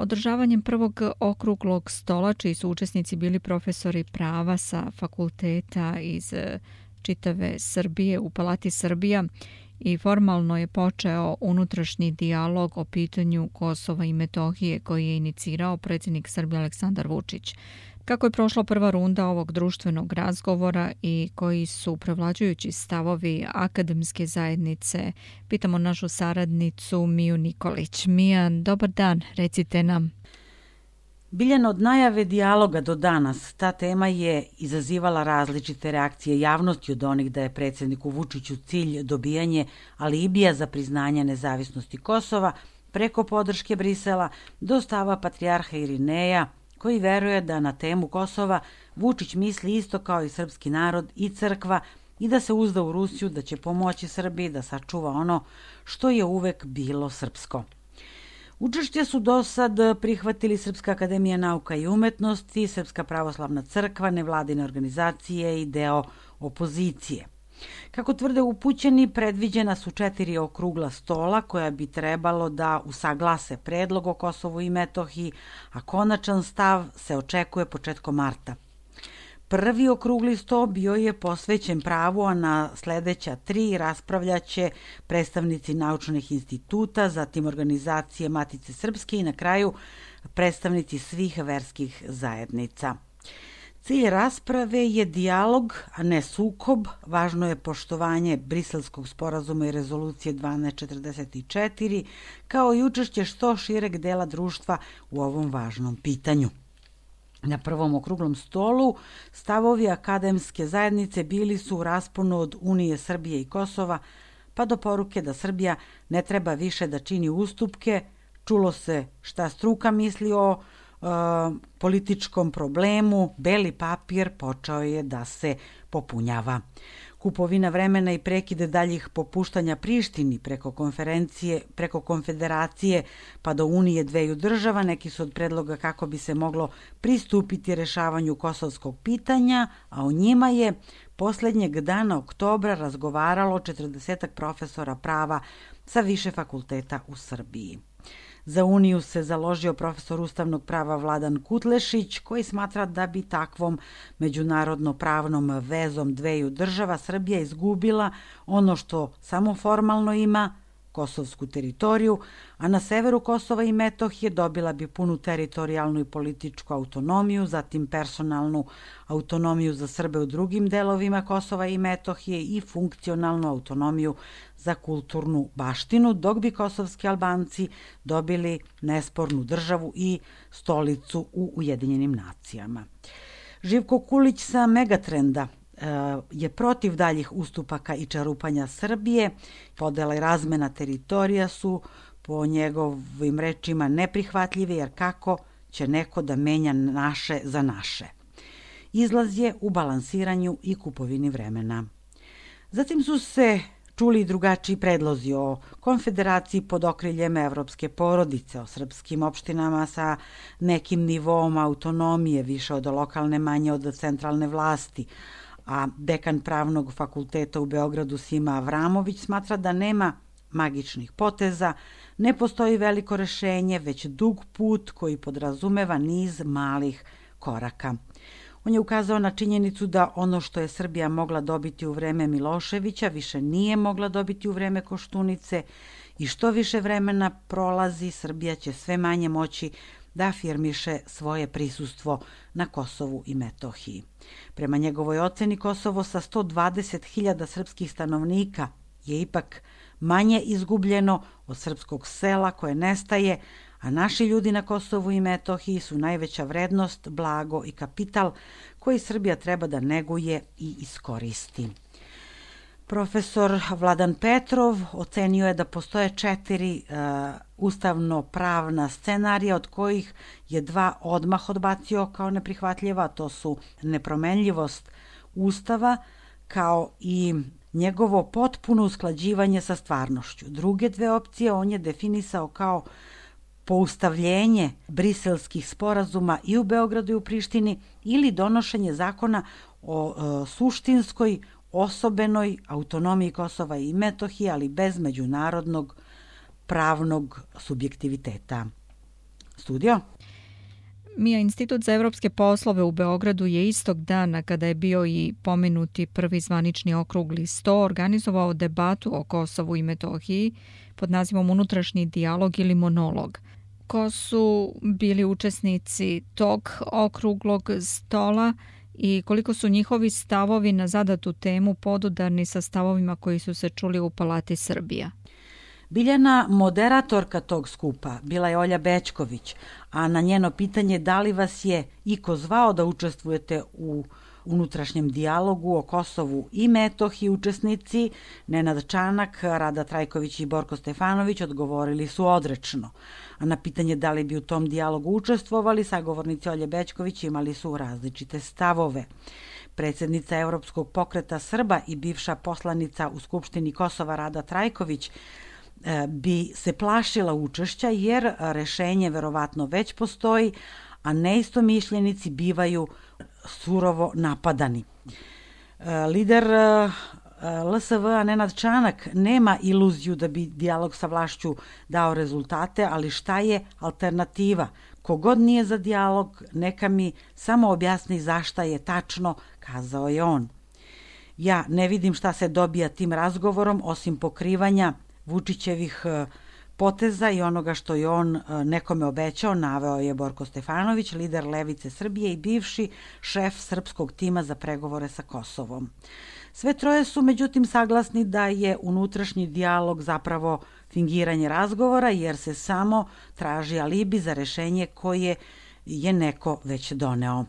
Održavanjem prvog okruglog stola, čiji su učesnici bili profesori prava sa fakulteta iz čitave Srbije u Palati Srbija, i formalno je počeo unutrašnji dijalog o pitanju Kosova i Metohije koji je inicirao predsjednik Srbije Aleksandar Vučić. Kako je prošla prva runda ovog društvenog razgovora i koji su prevlađujući stavovi akademske zajednice, pitamo našu saradnicu Miju Nikolić. Mija, dobar dan, recite nam. Biljana, od najave dijaloga do danas ta tema je izazivala različite reakcije javnosti, od onih da je predsjedniku Vučiću cilj dobijanje alibija za priznanje nezavisnosti Kosova preko podrške Brisela do stava patrijarha Irineja, koji veruje da na temu Kosova Vučić misli isto kao i srpski narod i crkva i da se uzda u Rusiju da će pomoći Srbiji da sačuva ono što je uvek bilo srpsko. Učešće su do sad prihvatili Srpska akademija nauka i umetnosti, Srpska pravoslavna crkva, nevladine organizacije i deo opozicije. Kako tvrde upućeni, predviđena su 4 okrugla stola koja bi trebalo da usaglase predlog o Kosovu i Metohiji, a konačan stav se očekuje početkom marta. Prvi okrugli sto bio je posvećen pravu, a na sledeća 3 raspravljaće predstavnici naučnih instituta, zatim organizacije Matice Srpske i na kraju predstavnici svih verskih zajednica. Cilj rasprave je dijalog, a ne sukob. Važno je poštovanje Briselskog sporazuma i rezolucije 1244, kao i učešće što šireg dela društva u ovom važnom pitanju. Na prvom okruglom stolu stavovi akademske zajednice bili su u rasponu od Unije Srbije i Kosova, pa do poruke da Srbija ne treba više da čini ustupke. Čulo se šta struka misli o političkom problemu, beli papir počeo je da se popunjava. Kupovina vremena i prekide daljih popuštanja Prištini preko konfederacije pa do Unije dveju država neki su od predloga kako bi se moglo pristupiti rešavanju kosovskog pitanja, a o njima je poslednjeg dana oktobra razgovaralo 40 profesora prava sa više fakulteta u Srbiji. Za Uniju se založio profesor ustavnog prava Vladan Kutlešić, koji smatra da bi takvom međunarodno-pravnom vezom dveju država Srbija izgubila ono što samo formalno ima, kosovsku teritoriju, a na severu Kosova i Metohije dobila bi punu teritorijalnu i političku autonomiju, zatim personalnu autonomiju za Srbe u drugim delovima Kosova i Metohije i funkcionalnu autonomiju za kulturnu baštinu, dok bi kosovski Albanci dobili nespornu državu i stolicu u Ujedinjenim nacijama. Živko Kulić sa Megatrenda je protiv daljih ustupaka i čarupanja Srbije. Podela i razmena teritorija su po njegovim rečima neprihvatljive, jer kako će neko da menja naše za naše. Izlaz je u balansiranju i kupovini vremena. Zatim su se čuli drugačiji predlozi o konfederaciji pod okriljem evropske porodice, o srpskim opštinama sa nekim nivom autonomije, više od lokalne, manje od centralne vlasti, a dekan Pravnog fakulteta u Beogradu Sima Avramović smatra da nema magičnih poteza, ne postoji veliko rešenje, već dug put koji podrazumeva niz malih koraka. On je ukazao na činjenicu da ono što je Srbija mogla dobiti u vreme Miloševića više nije mogla dobiti u vreme Koštunice i što više vremena prolazi, Srbija će sve manje moći da afirmiše svoje prisustvo na Kosovu i Metohiji. Prema njegovoj oceni, Kosovo sa 120.000 srpskih stanovnika je ipak manje izgubljeno od srpskog sela koje nestaje, a naši ljudi na Kosovu i Metohiji su najveća vrednost, blago i kapital koji Srbija treba da neguje i iskoristi. Profesor Vladan Petrov ocenio je da postoje 4 ustavno-pravna scenarija, od kojih je 2 odmah odbacio kao neprihvatljiva, to su nepromenljivost Ustava kao i njegovo potpuno usklađivanje sa stvarnošću. Druge 2 opcije on je definisao kao poustavljenje briselskih sporazuma i u Beogradu i u Prištini ili donošenje zakona o suštinskoj osobenoj autonomiji Kosova i Metohije, ali bez međunarodnog pravnog subjektiviteta. Studio? Mija, Institut za evropske poslove u Beogradu je istog dana kada je bio i pomenuti prvi zvanični okrugli sto organizovao debatu o Kosovu i Metohiji pod nazivom Unutrašnji dijalog ili monolog. Ko su bili učesnici tog okruglog stola i koliko su njihovi stavovi na zadatu temu podudarni sa stavovima koji su se čuli u Palati Srbija? Biljana, moderatorka tog skupa, bila je Olja Bećković, a na njeno pitanje da li vas je iko zvao da učestvujete u unutrašnjem dijalogu o Kosovu i Metohiji, učesnici Nenad Čanak, Rada Trajković i Borko Stefanović odgovorili su odrečno. A na pitanje da li bi u tom dijalogu učestvovali, sagovornici Olje Bećković imali su različite stavove. Predsjednica Evropskog pokreta Srba i bivša poslanica u Skupštini Kosova Rada Trajković bi se plašila učešća jer rešenje verovatno već postoji, a neistomišljenici bivaju surovo napadani. Lider LSV-a Nenad Čanak nema iluziju da bi dijalog sa vlašću dao rezultate, ali šta je alternativa? Kogod nije za dijalog, neka mi samo objasni zašta je tačno, kazao je on. Ja ne vidim šta se dobija tim razgovorom, osim pokrivanja Vučićevih poteza i onoga što je on nekome obećao, naveo je Borko Stefanović, lider Levice Srbije i bivši šef srpskog tima za pregovore sa Kosovom. Sve troje su međutim saglasni da je unutrašnji dijalog zapravo fingiranje razgovora jer se samo traži alibi za rešenje koje je neko već doneo.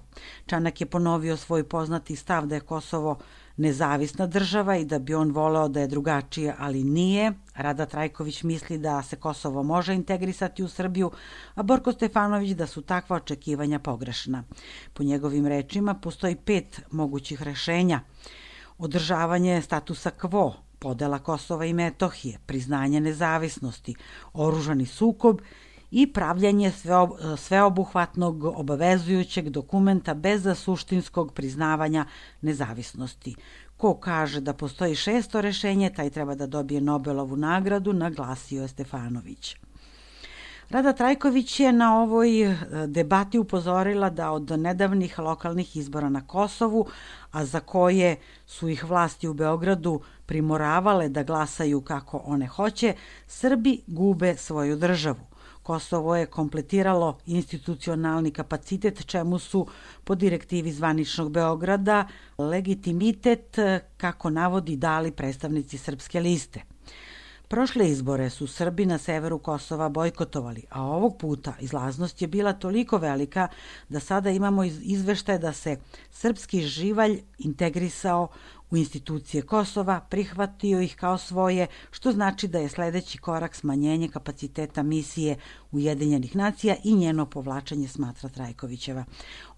Čanak je ponovio svoj poznati stav da je Kosovo nezavisna država i da bi on voleo da je drugačije, ali nije. Rada Trajković misli da se Kosovo može integrisati u Srbiju, a Borko Stefanović da su takva očekivanja pogrešna. Po njegovim rečima postoji 5 mogućih rešenja. Održavanje statusa quo, podela Kosova i Metohije, priznanje nezavisnosti, oružani sukob i pravljanje sveobuhvatnog obavezujućeg dokumenta bez suštinskog priznavanja nezavisnosti. Ko kaže da postoji 6. rešenje, taj treba da dobije Nobelovu nagradu, naglasio je Stefanović. Rada Trajković je na ovoj debati upozorila da od nedavnih lokalnih izbora na Kosovu, a za koje su ih vlasti u Beogradu primoravale da glasaju kako one hoće, Srbi gube svoju državu. Kosovo je kompletiralo institucionalni kapacitet, čemu su po direktivi zvaničnog Beograda legitimitet, kako navodi, dali predstavnici Srpske liste. Prošle izbore su Srbi na severu Kosova bojkotovali, a ovog puta izlaznost je bila toliko velika da sada imamo izveštaje da se srpski živalj integrisao u institucije Kosova, prihvatio ih kao svoje, što znači da je sledeći korak smanjenje kapaciteta misije Ujedinjenih nacija i njeno povlačenje, smatra Trajkovićeva.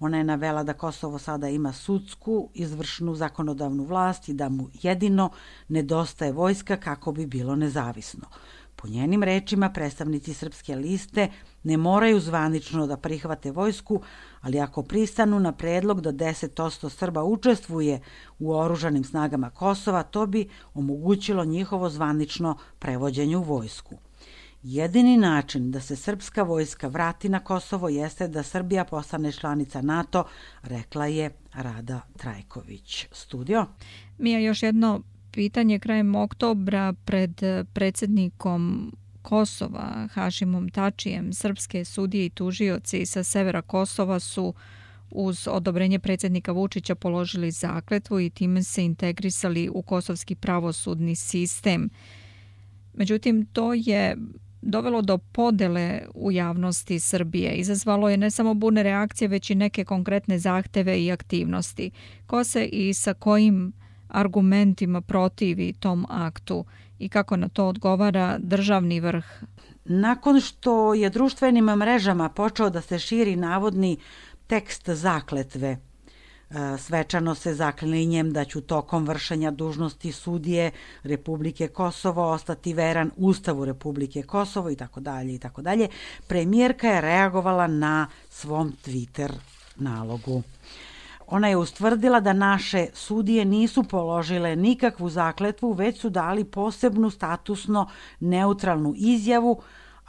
Ona je navela da Kosovo sada ima sudsku, izvršnu, zakonodavnu vlast i da mu jedino nedostaje vojska kako bi bilo nezavisno. Po njenim rečima, predstavnici Srpske liste ne moraju zvanično da prihvate vojsku, ali ako pristanu na predlog da 10% Srba učestvuje u oružanim snagama Kosova, to bi omogućilo njihovo zvanično prevođenje u vojsku. Jedini način da se srpska vojska vrati na Kosovo jeste da Srbija postane članica NATO, rekla je Rada Trajković. Studio? Mija, još jedno pitanje. Krajem oktobra pred predsjednikom Kosova, Hašimom Tačijem, srpske sudije i tužioci sa severa Kosova su uz odobrenje predsjednika Vučića položili zakletvu i time se integrisali u kosovski pravosudni sistem. Međutim, to je dovelo do podele u javnosti Srbije. Izazvalo je ne samo burne reakcije, već i neke konkretne zahteve i aktivnosti. Ko se i sa kojim argumentima protivi tom aktu i kako na to odgovara državni vrh? Nakon što je društvenim mrežama počeo da se širi navodni tekst zakletve, svečano se zaklinjem da ću tokom vršenja dužnosti sudije Republike Kosovo ostati veran Ustavu Republike Kosovo i tako dalje, premijerka je reagovala na svom Twitter nalogu. Ona je ustvrdila da naše sudije nisu položile nikakvu zakletvu, već su dali posebnu statusno neutralnu izjavu,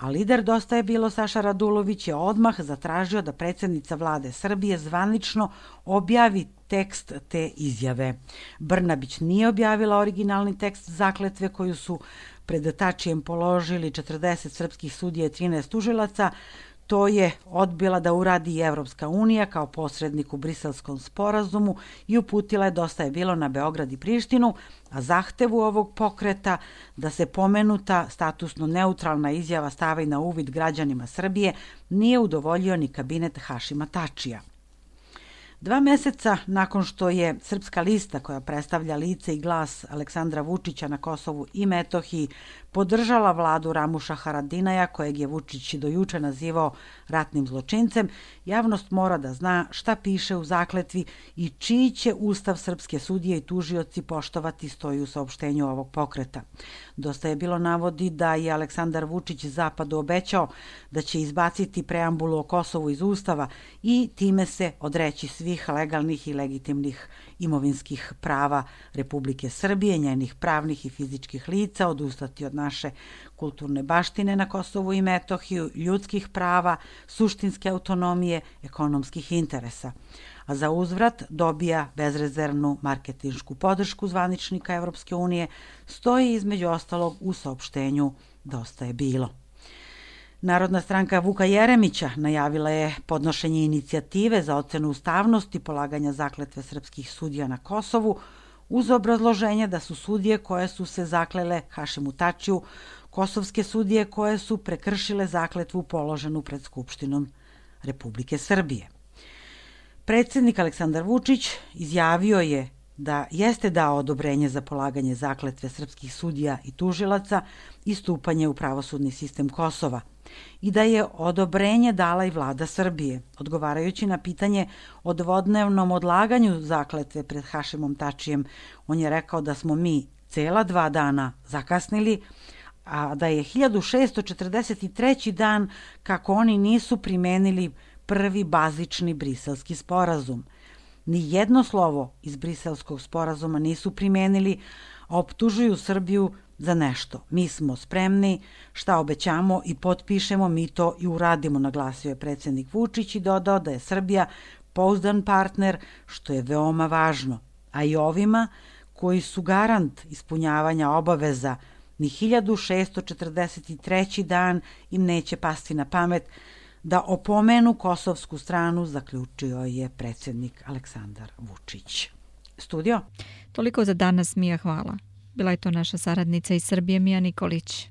a lider Dosta je bilo Saša Radulović je odmah zatražio da predsjednica vlade Srbije zvanično objavi tekst te izjave. Brnabić nije objavila originalni tekst zakletve koju su pred Tačijem položili 40 srpskih sudija i 13 tužilaca. To je odbila da uradi i Evropska unija kao posrednik u Briselskom sporazumu i uputila je Dosta je bilo na Beograd i Prištinu, a zahtevu ovog pokreta da se pomenuta statusno neutralna izjava stavi na uvid građanima Srbije nije udovoljio ni kabinet Hašima Tačija. 2 meseca nakon što je Srpska lista, koja predstavlja lice i glas Aleksandra Vučića na Kosovu i Metohiji, podržala vladu Ramuša Haradinaja, kojeg je Vučić do juče nazivao ratnim zločincem, javnost mora da zna šta piše u zakletvi i čiji će ustav srpske sudije i tužioci poštovati, stoji u saopštenju ovog pokreta. Dosta je bilo navodi da je Aleksandar Vučić Zapadu obećao da će izbaciti preambulu o Kosovu iz ustava i time se odreći svih legalnih i legitimnih imovinskih prava Republike Srbije, njenih pravnih i fizičkih lica, odustati od naše kulturne baštine na Kosovu i Metohiju, ljudskih prava, suštinske autonomije, ekonomskih interesa. A za uzvrat dobija bezrezervnu marketinšku podršku zvaničnika Evropske unije, stoji između ostalog u saopštenju Dosta je bilo. Narodna stranka Vuka Jeremića najavila je podnošenje inicijative za ocenu ustavnosti polaganja zakletve srpskih sudija na Kosovu uz obrazloženje da su sudije koje su se zaklele Hašimu Tačiju kosovske sudije koje su prekršile zakletvu položenu pred Skupštinom Republike Srbije. Predsjednik Aleksandar Vučić izjavio je da jeste dao odobrenje za polaganje zakletve srpskih sudija i tužilaca i stupanje u pravosudni sistem Kosova i da je odobrenje dala i vlada Srbije. Odgovarajući na pitanje o dvodnevnom odlaganju zakletve pred Hašimom Tačijem, on je rekao da smo mi cela 2 dana zakasnili, a da je 1643. dan kako oni nisu primenili prvi bazični briselski sporazum. Ni jedno slovo iz briselskog sporazuma nisu primenili, a optužuju Srbiju za nešto. Mi smo spremni, šta obećamo i potpišemo, mi to i uradimo, naglasio je predsjednik Vučić i dodao da je Srbija pouzdan partner, što je veoma važno. A i ovima koji su garant ispunjavanja obaveza, ni 1643. dan im neće pasti na pamet da opomenu kosovsku stranu, zaključio je predsjednik Aleksandar Vučić. Studio? Toliko za danas, Mija, hvala. Bila je to naša saradnica iz Srbije, Mija Nikolić.